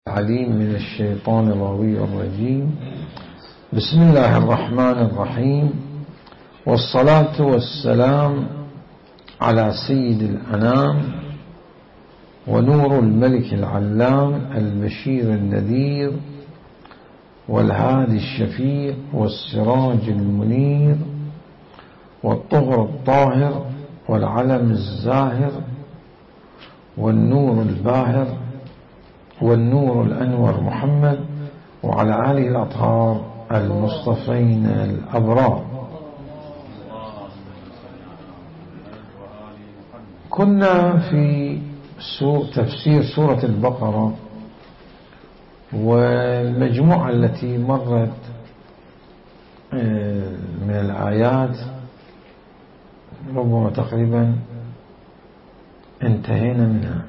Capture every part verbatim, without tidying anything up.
العليم من الشيطان الرجيم. بسم الله الرحمن الرحيم، والصلاة والسلام على سيد الأنام ونور الملك العلام البشير النذير والهادي الشفيع والسراج المنير والطهر الطاهر والعلم الزاهر والنور الباهر والنور الأنور محمد وعلى آله الأطهار المصطفين الأبرار. كنا في تفسير سورة البقرة، والمجموعة التي مرت من الآيات ربما تقريبا انتهينا منها.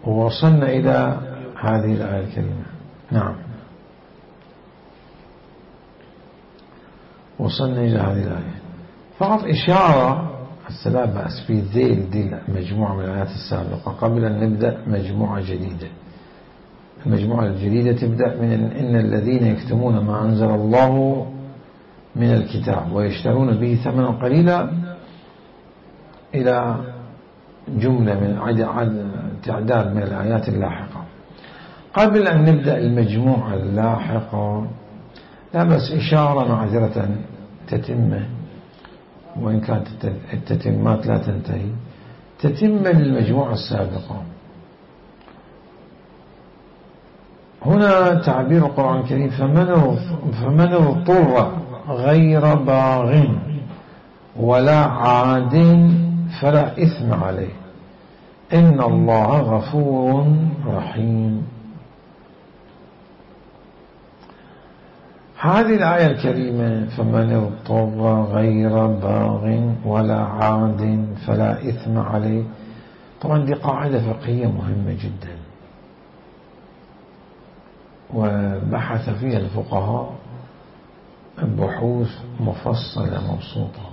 ووصلنا إلى هذه الآية الكريمة. نعم، وصلنا إلى هذه الآية. فقط إشارة لا بأس في ذيل دي مجموعة من الآيات السابقة قبل أن نبدأ مجموعة جديدة. المجموعة الجديدة تبدأ من إن الذين يكتمون ما أنزل الله من الكتاب ويشترون به ثمنا قليلا إلى جملة من تعداد من الآيات اللاحقة. قبل أن نبدأ المجموعة اللاحقة لا بس إشارة معذرة تتمة، وإن كانت التتمات لا تنتهي، تتمة للمجموعة السابقة. هنا تعبير القرآن الكريم فمن فمن اضطر غير باغ ولا عاد فلا إثم عليه إن الله غفور رحيم. هذه الآية الكريمة فمن اضطر غير باغ ولا عاد فلا إثم عليه، طبعا دي قاعدة فقهية مهمة جدا، وبحث فيها الفقهاء بحوث مفصلة مبسوطة،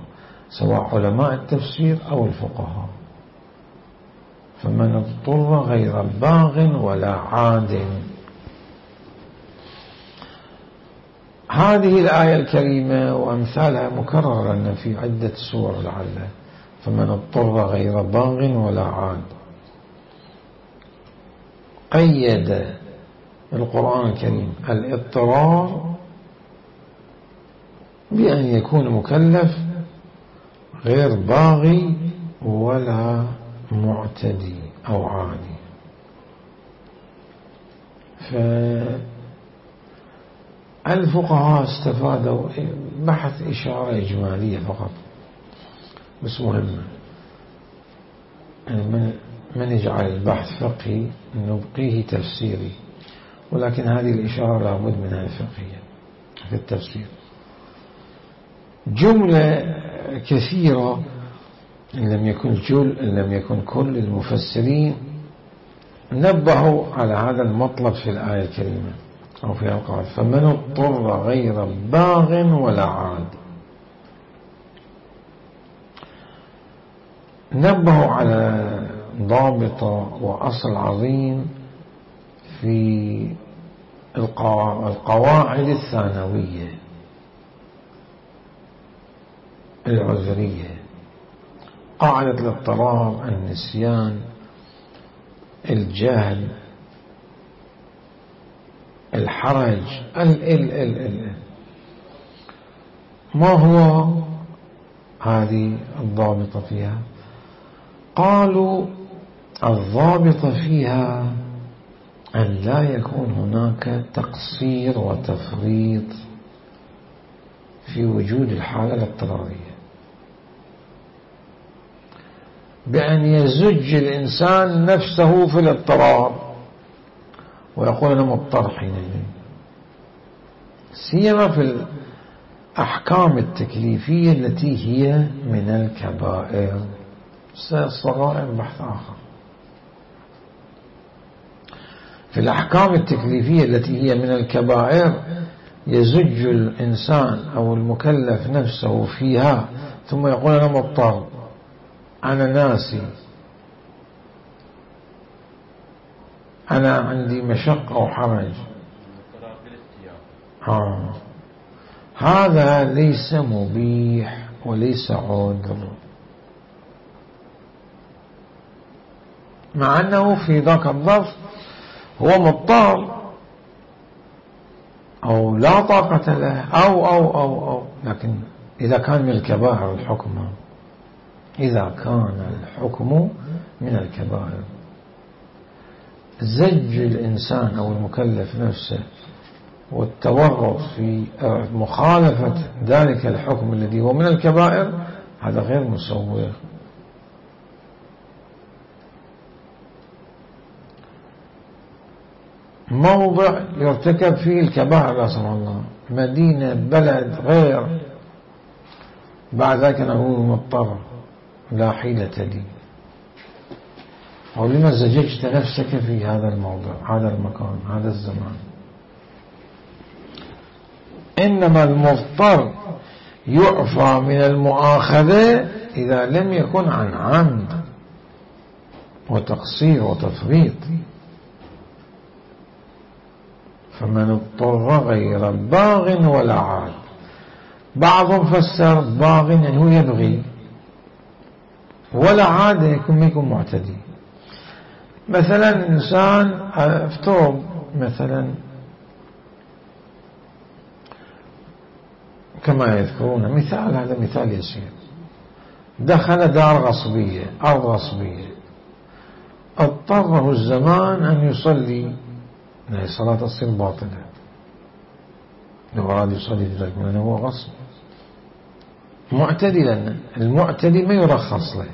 سواء علماء التفسير أو الفقهاء. فمن اضطر غير باغ ولا عاد، هذه الآية الكريمة وأمثالها مكررة لنا في عدة سور لعله. فمن اضطر غير باغ ولا عاد، قيد القرآن الكريم الاضطرار بأن يكون مكلف غير باغي ولا معتدي أو عادي. فالفقهاء استفادوا بحث إشارة إجمالية فقط بس مهمة، يعني من, من يجعل البحث فقهي نبقيه تفسيري، ولكن هذه الإشارة لابد منها فقهية في التفسير. جملة كثيرة إن لم يكن جل إن لم يكن كل المفسرين نبهوا على هذا المطلب في الآية الكريمة أو في القرآن. فمن اضطر غير باغ ولا عاد، نبهوا على ضابطة وأصل عظيم في القواعد الثانوية العذرية: قاعدة الاضطرار، النسيان، الجهل، الحرج، ال ال ال ال ما هو هذه الضابطة فيها؟ قالوا الضابطة فيها أن لا يكون هناك تقصير وتفريط في وجود الحالة الاضطرارية، بأن يزج الإنسان نفسه في الاضطرار ويقول أنا مضطر حينئذ، سيما في الأحكام التكليفية التي هي من الكبائر. الصغائر بحث آخر. في الأحكام التكليفية التي هي من الكبائر يزج الإنسان أو المكلف نفسه فيها ثم يقول أنا مضطر، أنا ناسي، أنا عندي مشقة وحرج، آه. هذا ليس مبيح وليس عذر، مع أنه في ذاك الظرف هو مضطر أو لا طاقة له أو أو أو أو لكن إذا كان من الكبائر الحكم، إذا كان الحكم من الكبائر، زج الإنسان أو المكلف نفسه والتورط في مخالفة ذلك الحكم الذي هو من الكبائر، هذا غير مسوغ. موضع يرتكب فيه الكبائر لا سمح الله، مدينة، بلد، غير، بعد ذلك نقول مضطر لا حيلة لي، ولما زججت نفسك في هذا الموضع، هذا المكان، هذا الزمان. إنما المضطر يعفى من المؤاخذة إذا لم يكن عن عمد وتقصير وتفريط. فمن اضطر غير باغ ولا عاد، بعضهم فسر باغ يعني هو يبغي، ولا عاد يكون يكون معتدي. مثلا إنسان افترض مثلا كما يذكرون مثال، هذا مثال يسير، دخل دار غصبية، أرض غصبية، اضطره الزمان أن يصلي، الصلاة تصير باطلة لو أراد يصلي ذلك لأنه هو غصب معتدي، لأن المعتدي ما يرخص له.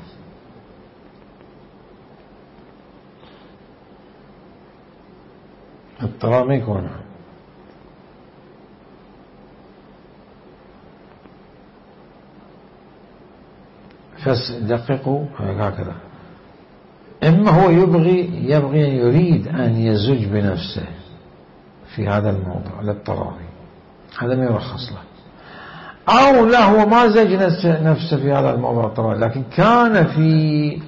اضطرار ما يكون، فدققوا هكذا. إما هو يبغي يبغي يريد أن يزج بنفسه في هذا الموضوع للطراري، هذا ما يرخص له، أو لا هو ما زج نفسه في هذا الموضوع الطراري، لكن كان في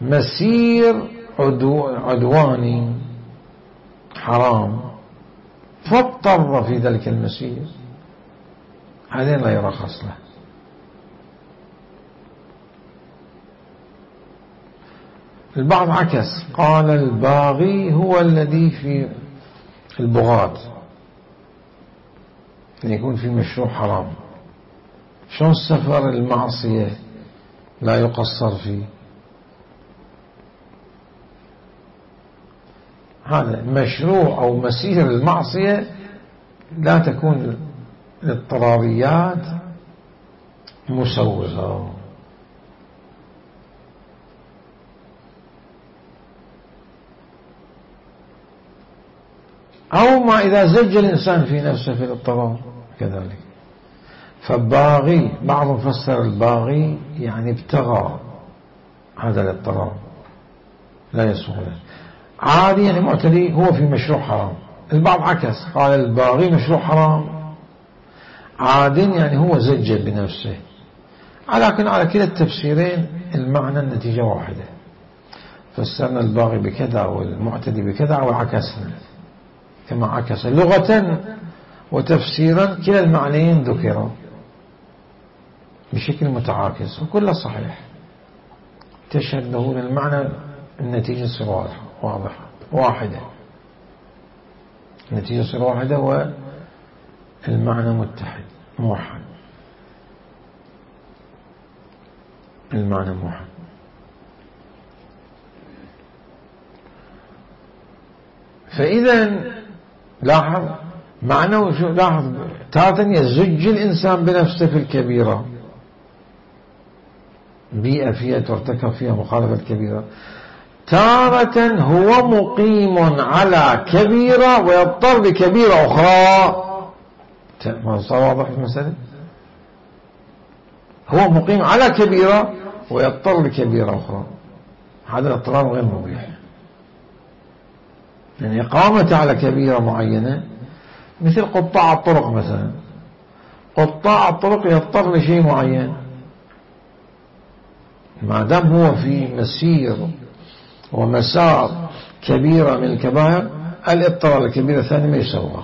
مسير عدو عدواني حرام فاضطر في ذلك المسير، هذا لا يرخص له. البعض عكس، قال الباغي هو الذي في البغاة، أن يكون في مشروع حرام. شلون السفر المعصية لا يقصر فيه؟ هذا مشروع أو مسير المعصية لا تكون للضروريات مسوغة. أو ما إذا زج الإنسان في نفسه في الاضطرار كذلك. فالباغي بعضهم فسر الباغي يعني ابتغى هذا الاضطرار لا يسوغ له. عادي يعني معتدي هو في مشروع حرام. البعض عكس، قال الباغي مشروع حرام، عاد يعني هو زج بنفسه. لكن على كلا التفسيرين المعنى النتيجة واحدة، فسرنا الباغي بكذا والمعتدي بكذا وعكسنا كما عكس لغة وتفسيرا، كلا المعنيين ذكروا بشكل متعاكس وكله صحيح، تشهد له المعنى النتيجة تصير واضحة واضحة واحدة، النتيجة تصير واحدة والمعنى متحد موحد، المعنى موحد. فإذا لاحظ معنى شو، لاحظ تارة يزج الإنسان بنفسه في الكبيرة، بيئة فيها ترتكب فيها مخالفة الكبيرة، تارة هو مقيم على كبيرة ويضطر لكبيرة أخرى. ما صار واضح المسألة؟ هو مقيم على كبيرة ويضطر لكبيرة أخرى، هذا الاضطرار غير مبيح. يعني إقامته على كبيرة معينة مثل قطاع الطرق مثلا، قطاع الطرق يضطر لشيء معين، ما دام هو في مسير ومسار كبيرة من الكبائر، الاضطرار الكبيرة الثانية ما يسوغ،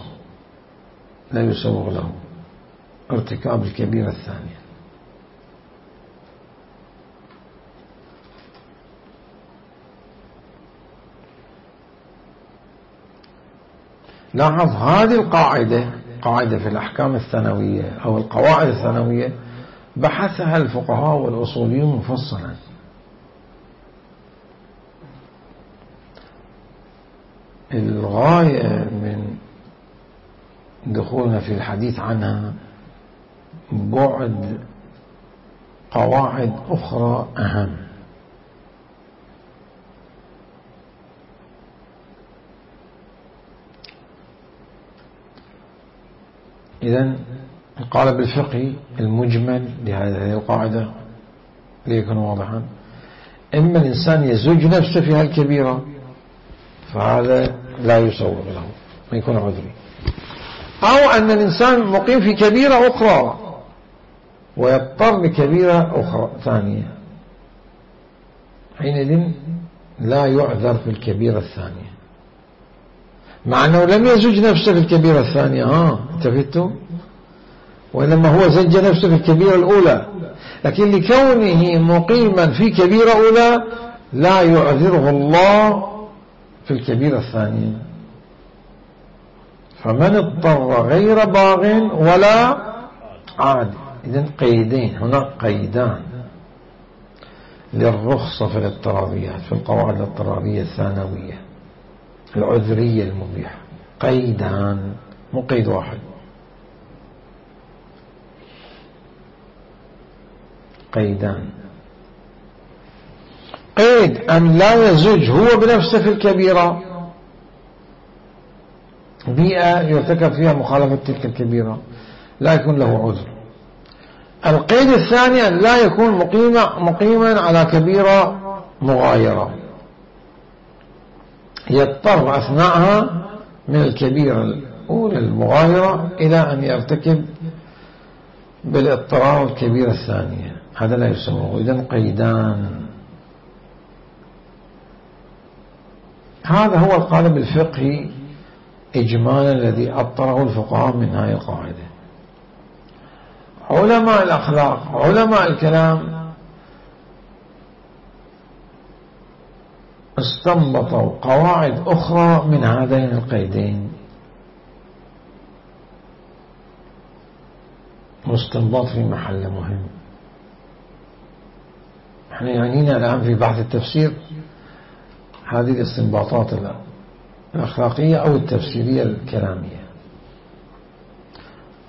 لا يسوغ له ارتكاب الكبيرة الثانية. لاحظ هذه القاعدة، قاعدة في الأحكام الثانوية أو القواعد الثانوية بحثها الفقهاء والأصوليون مفصلا. الغاية من دخولنا في الحديث عنها بعد قواعد أخرى أهم. إذن القالب الفقهي المجمل لهذه القاعدة ليكون واضحا: إما الإنسان يزوج نفسه في هالكبيرة فهذا لا يسوغ له، ما يكون عذري، أو أن الإنسان مقيم في كبيرة أخرى ويضطر لكبيرة أخرى ثانية، حينئذ لا يعذر في الكبيرة الثانية، مع أنه لم يزوج نفسه في الكبيرة الثانية. ها انتبهتم؟ وإنما هو زج نفسه في الكبيرة الأولى، لكن لكونه مقيما في كبيرة أولى لا يعذره الله في الكبيرة الثانية. فمن اضطر غير باغ ولا عاد. إذن قيدين، هناك قيدان للرخصة في الاضطراريات في القواعد الاضطرارية الثانوية العذرية المبيحة، قيدان مو قيد واحد. قيدان: قيد أن لا يزوج هو بنفسه في الكبيرة، بيئة يرتكب فيها مخالفة تلك الكبيرة لا يكون له عذر. القيد الثاني أن لا يكون مقيما مقيما على كبيرة مغايرة، يضطر أثناءها من الكبيرة الأولى المغايرة إلى أن يرتكب بالاضطرار الكبيرة الثانية، هذا لا يسوغ. إذن قيدان. هذا هو القالب الفقهي إجمالا الذي أطره الفقهاء من هذه القاعدة. علماء الأخلاق علماء الكلام استنبطوا قواعد أخرى من هذين القيدين، واستنباط في محل مهم. احنا يعنينا الآن في بحث التفسير هذه الاستنباطات الأخلاقية أو التفسيرية الكلامية.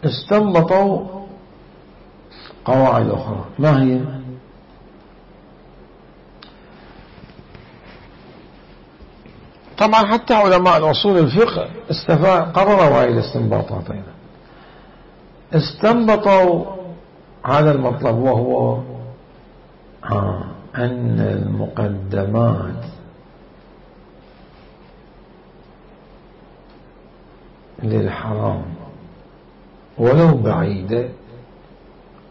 استنبطوا قواعد أخرى، ما هي؟ طبعا حتى علماء الأصول الفقه قرروا هذه الاستنباطات أيضا. استنبطوا هذا المطلب، وهو آه أن المقدمات للحرام ولو بعيدة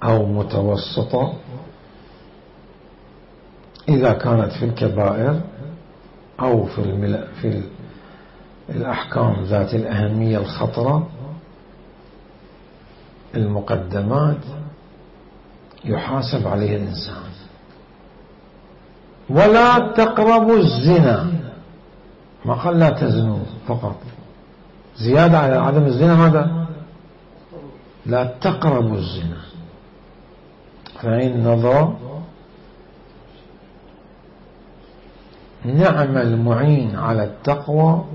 أو متوسطة إذا كانت في الكبائر أو في المل... في الأحكام ذات الأهمية الخطرة، المقدمات يحاسب عليها الإنسان. ولا تقربوا الزنا، ما قال لا تزنوا فقط، زيادة على عدم الزنا هذا، لا تقربوا الزنا. فإن نظر نعم المعين على التقوى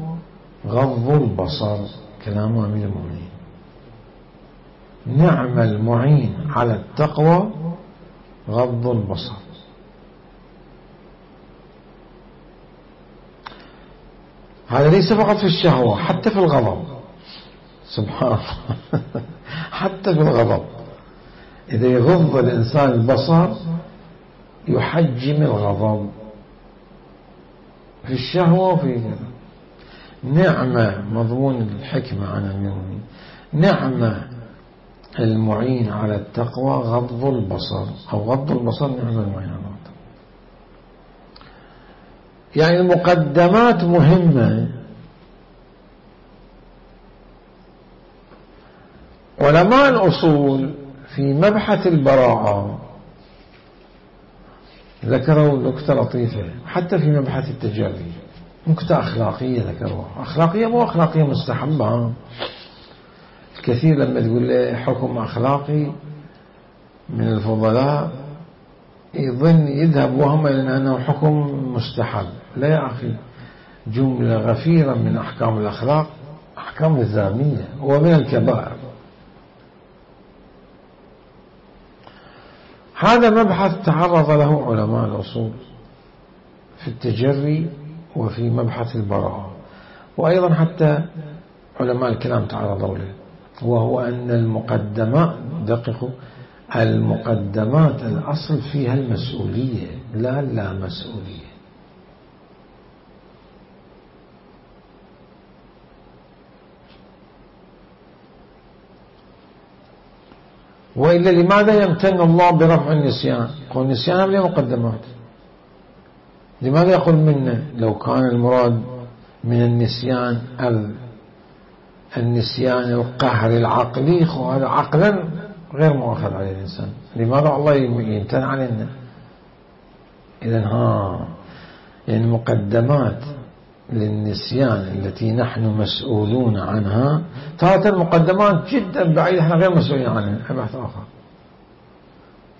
غض البصر، كلام أمير المؤمنين. نعم المعين على التقوى غض البصر. هذا ليس فقط في الشهوة، حتى في الغضب. سبحان الله حتى في الغضب إذا يغض الإنسان البصر يحجم الغضب في الشهوة وفي نعمة. مضمون الحكمة عن المؤمنين: نعمة المعين على التقوى غض البصر، أو غض البصر نعمة المعين على التقوى. يعني المقدمات مهمة. علماء الأصول في مبحث البراءة ذكروا نكتة لطيفة، حتى في مبحث التجري نكتة أخلاقية ذكروها، أخلاقية مو أخلاقية مستحبة. الكثير لما تقول له حكم أخلاقي من الفضلاء يظن يذهب وهم إلى أنه حكم مستحب. لا يا أخي، جملة غفيرة من أحكام الأخلاق أحكام الزامية ومن الكبائر. هذا مبحث تعرض له علماء الأصول في التجري وفي مبحث البراءة، وأيضا حتى علماء الكلام تعرضوا له، وهو أن المقدمات، دققوا، المقدمات الأصل فيها المسؤولية لا لا مسؤولية. وإلا لماذا يمتن الله برفع النسيان؟ يقول النسيان له مقدمات. لماذا يقول منا؟ لو كان المراد من النسيان النسيان القهر العقلي، هذا عقلا غير مؤاخذ عليه الإنسان، لماذا الله يمتن علينا؟ إذن ها يعني المقدمات للنسيان التي نحن مسؤولون عنها، تارة المقدمات جدا بعيدة احنا غير مسؤولين عنها، بحث آخر.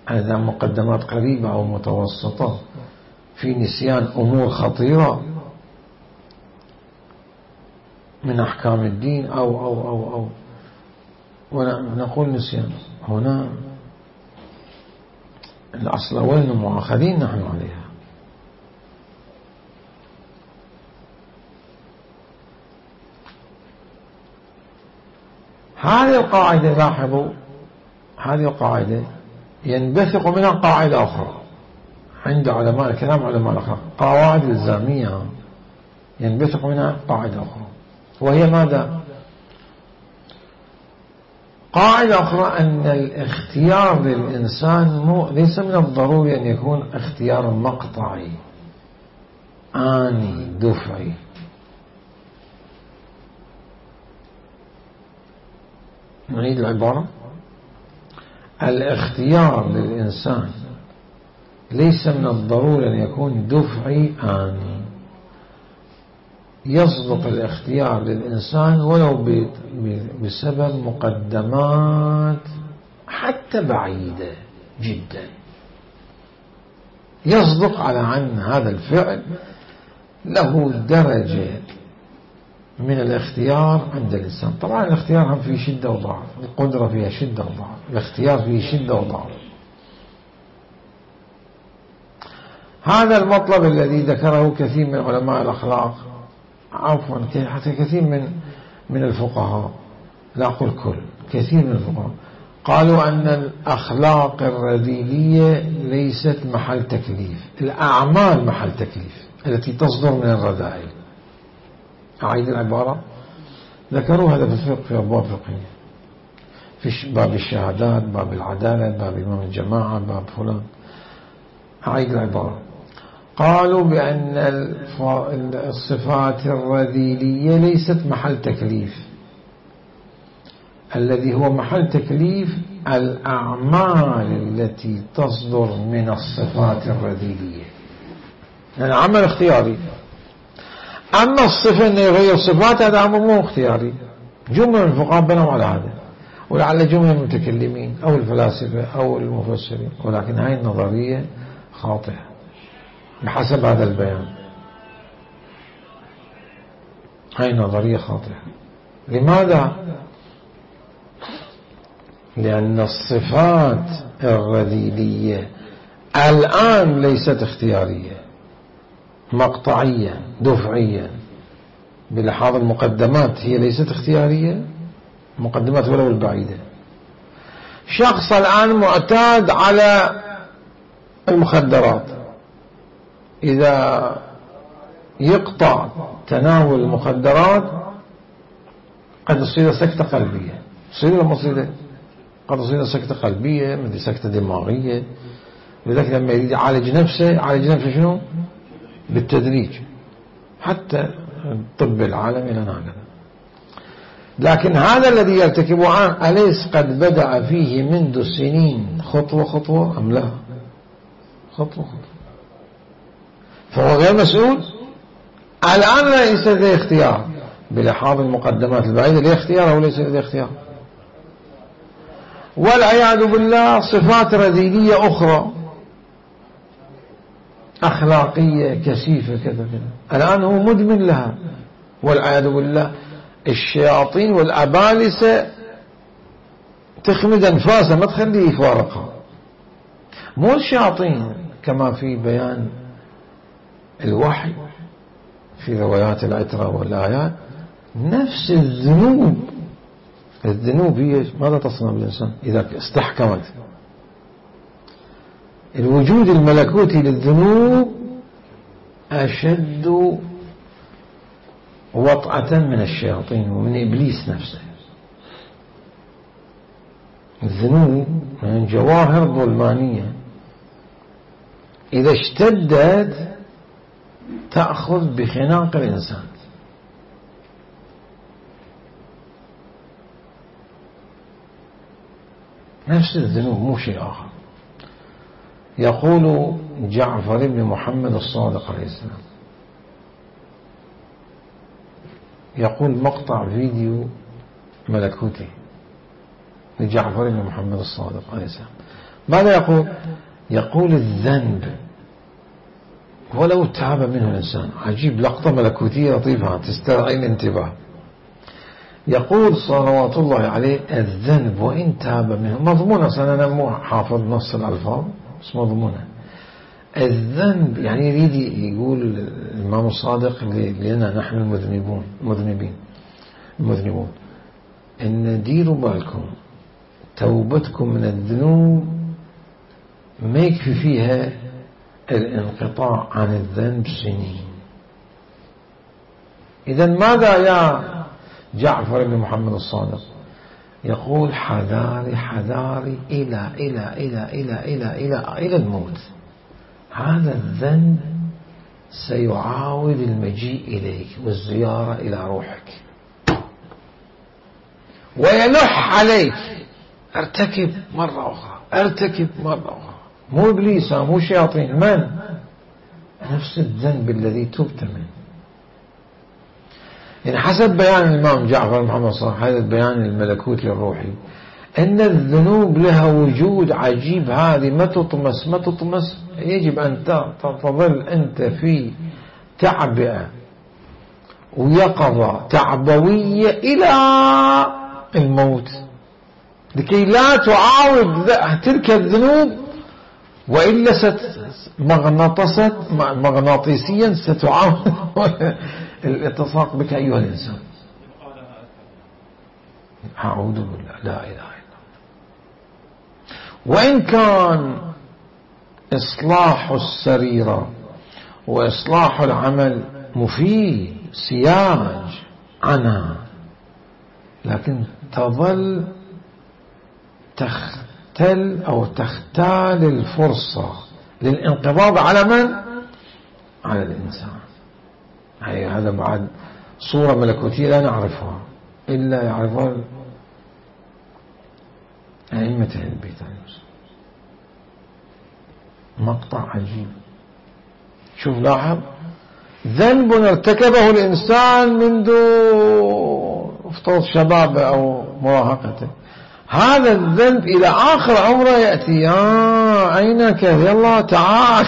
إذا مقدمات قريبة أو متوسطة في نسيان أمور خطيرة من أحكام الدين أو أو أو أو ونقول نسيان، هنا الأصل وين مؤاخذين نحن عليها. هذه القاعدة، لاحظوا هذه القاعدة ينبثق منها قاعدة أخرى عند علماء الكلام، علماء الأخلاق، قواعد إلزامية ينبثق منها قاعدة أخرى، وهي ماذا؟ قاعدة أخرى أن الاختيار للإنسان مو ليس من الضروري أن يكون اختيار مقطعي آني دفعي. نعيد العبارة. الاختيار للإنسان ليس من الضروري أن يكون دفعي آني. يصدق الاختيار للإنسان ولو بسبب مقدمات حتى بعيدة جدا، يصدق على أن هذا الفعل له درجة من الاختيار عند الإنسان. طبعا الاختيار هم فيه شدة وضعف، القدرة فيها شدة وضعف، الاختيار فيه شدة وضعف. هذا المطلب الذي ذكره كثير من علماء الأخلاق، عفوا حتى كثير من من الفقهاء، لا أقول كل، كثير من الفقهاء قالوا أن الأخلاق الرذيلية ليست محل تكليف، الأعمال محل تكليف التي تصدر من الرذائل. أعيد العبارة. ذكروا هذا في الفقه في أبواب فقهية، في باب الشهادات، باب العدالة، باب إمام الجماعة، باب فلان. أعيد العبارة. قالوا بأن الصفات الرذيلية ليست محل تكليف، الذي هو محل تكليف الأعمال التي تصدر من الصفات الرذيلية، يعني عمل اختياري. أما الصفة أنه يغير صفات هذا أمر مو اختياري. جملة من الفقهاء بنوا على هذا، ولعل جملة من المتكلمين أو الفلاسفة أو المفسرين، ولكن هاي النظرية خاطئة بحسب هذا البيان. هاي نظرية خاطئة. لماذا؟ لأن الصفات الرذيلية الآن ليست اختيارية، مقطعية دفعية، بلحاظ المقدمات هي ليست اختيارية، مقدمات ولو البعيدة. شخص الآن معتاد على المخدرات، إذا يقطع تناول المخدرات قد تصير سكتة قلبية، تصير ولا ما تصير؟ قد تصير سكتة قلبية، مثل سكتة دماغية. لذلك لما يريد يعالج نفسه، يعالج نفسه شنو؟ بالتدريج. حتى الطب العالمي لنا هكذا. لكن هذا الذي يرتكبه الآن أليس قد بدأ فيه منذ سنين خطوة خطوة أم لا؟ خطوة خطوة. فهو غير مسؤول. الآن ليس لديه اختيار بلحاظ المقدمات البعيدة، لديه اختيار أو ليس لديه اختيار. والعياذ بالله صفات رذيلية أخرى أخلاقية كثيفة كذا كذا الآن هو مدمن لها والعياذ بالله. الشياطين والأبالسة تخمد أنفاسه ما تخليه يفارقها. مو الشياطين كما في بيان الوحي في روايات العترة والآيات، نفس الذنوب. الذنوب هي ماذا تصنع بالإنسان إذا استحكمت؟ الوجود الملكوتي للذنوب أشد وطأة من الشياطين ومن إبليس نفسه. الذنوب من جواهر ظلمانية إذا اشتدت تأخذ بخناق الإنسان. نفس الذنوب مو شيء آخر. يقول جعفر بن محمد الصادق عليه السلام، يقول مقطع فيديو ملكوتي لجعفر بن محمد الصادق عليه السلام، ماذا يقول؟ يقول الذنب ولو تاب منه الإنسان. عجيب، لقطة ملكوتية لطيفة تستدعي الانتباه. يقول صلوات الله عليه الذنب وإن تاب منه، مضمونة، أنا مو حافظ نص الألفاظ بس مضمونة. الذنب يعني يريد يقول الإمام الصادق لنا نحن المذنبون مذنبين المذنبون إن ديروا بالكم توبتكم من الذنوب ما يكفي فيها الانقطاع عن الذنب سنين. إذا ماذا يا جعفر بن محمد الصادق؟ يقول حذاري حذاري إلى إلى إلى إلى إلى إلى إلى الموت. هذا الذنب سيعاود المجيء إليك والزيارة إلى روحك ويلح عليك. ارتكب مرة أخرى، ارتكب مرة أخرى. مو إبليس مو شياطين، من؟ نفس الذنب الذي تبت منه. يعني حسب بيان الإمام جعفر محمد صالح، هذا البيان الملكوتي الروحي، أن الذنوب لها وجود عجيب. هذه ما تطمس ما تطمس يجب أن تظل أنت في تعبئة ويقظة تعبوية إلى الموت لكي لا تعاود تلك الذنوب، وإلا مغناطست مغناطيسيا ستعاود الالتصاق بك أيها الإنسان. أعوذ بالله، لا إله إلا الله. وإن كان إصلاح السريرة وإصلاح العمل مفيد سياج عنها، لكن تظل تختل أو تختال الفرصة للانقباض على من؟ على الإنسان. يعني هذا بعد صورة ملكوتية لا نعرفها إلا يعرفها أئمة البيت. مقطع عجيب. شوف لاحظ، ذنب ارتكبه الإنسان منذ افترض شبابه أو مراهقته، هذا الذنب إلى آخر عمره يأتي. آه عينك يلا تعال.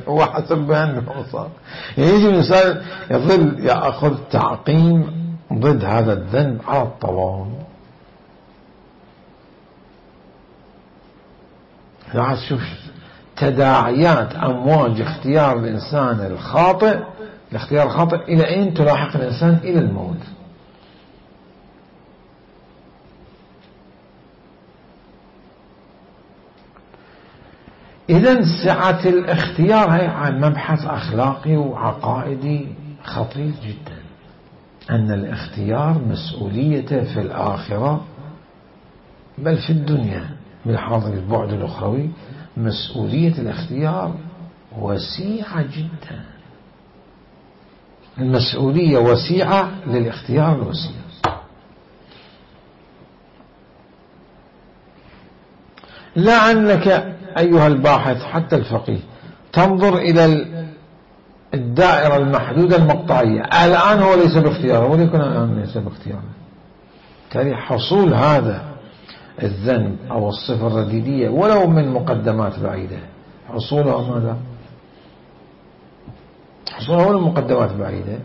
هو حسب بيان المصاب. يجي الإنسان يظل يأخذ تعقيم ضد هذا الذنب على الطوال. لا تشوف تداعيات أمواج اختيار الإنسان الخاطئ، الاختيار الخاطئ إلى أين تلاحق الإنسان؟ إلى الموت. إذن سعة الاختيار هي مبحث أخلاقي وعقائدي خطير جدا، أن الاختيار مسؤوليته في الآخرة بل في الدنيا بالحاضر البعد الأخروي. مسؤولية الاختيار وسيعة جدا. المسؤولية وسيعة للاختيار الوسيع. لا أنك أيها الباحث حتى الفقيه تنظر إلى الدائرة المحدودة المقطعية، الآن هو ليس باختياره وليكن الآن ليس باختياره. بالتالي حصول هذا الذنب أو الصفة الرديدية ولو من مقدمات بعيدة، حصولها ماذا؟ حصولها من مقدمات بعيدة،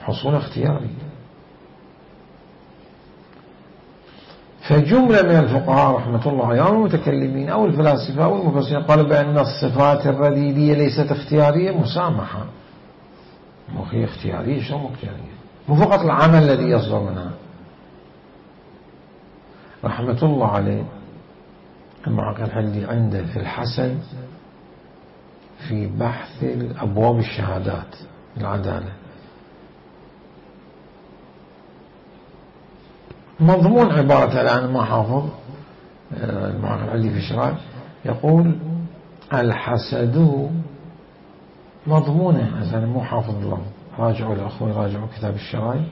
حصول اختياري. فجملة من الفقهاء رحمة الله عليهم أو المتكلمين أو الفلاسفة أو المفسرين قالوا بأن الصفات الرديدية ليست اختيارية مسامحة. وهي اختيارية، شو مو اختيارية؟ مو فقط العمل الذي يصدر منها. رحمة الله عليه المعقل الحلي عنده في الحسن في بحث أبواب الشهادات العدالة مضمون عبارة الآن ما حافظ المعقل الحلي في الشرائع يقول الحسد مضمونه، أنا مو حافظ الله، راجعوا الأخوة راجعوا كتاب الشرائع.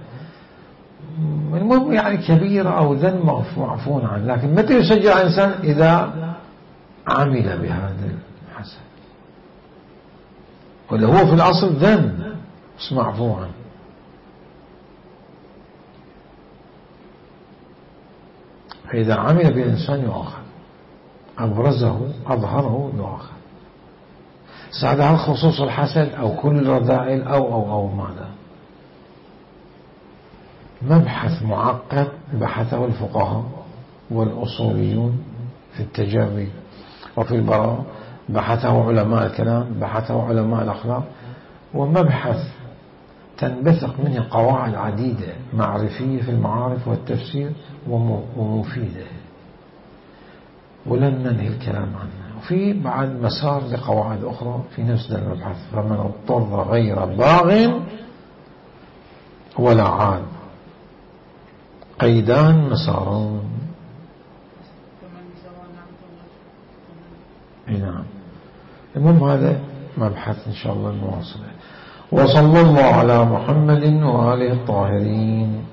المهم يعني كبيرة أو ذنب معفون عنه، لكن متى يسجل الإنسان؟ إذا عمل بهذا الحسد، ولا هو في الأصل ذنب بس معفو عنه. فإذا عمل به الإنسان يؤاخذ، أبرزه أظهره يؤاخذ. ساعد هل خصوص الحسد أو كل الرذائل أو أو أو ماذا؟ مبحث معقد بحثه الفقهاء والأصوليون في التجري وفي البراء، بحثه علماء الكلام، بحثه علماء الأخلاق، ومبحث تنبثق منه قواعد عديدة معرفية في المعارف والتفسير ومفيدة، ولن ننهي الكلام عنها. وفي بعد مسار لقواعد أخرى في نفس المبحث، فمن اضطر غير باغ ولا عاد قيدان مساران. نعم. المهم هذا مبحث إن شاء الله نواصله. وصلى الله على محمد وآله الطاهرين.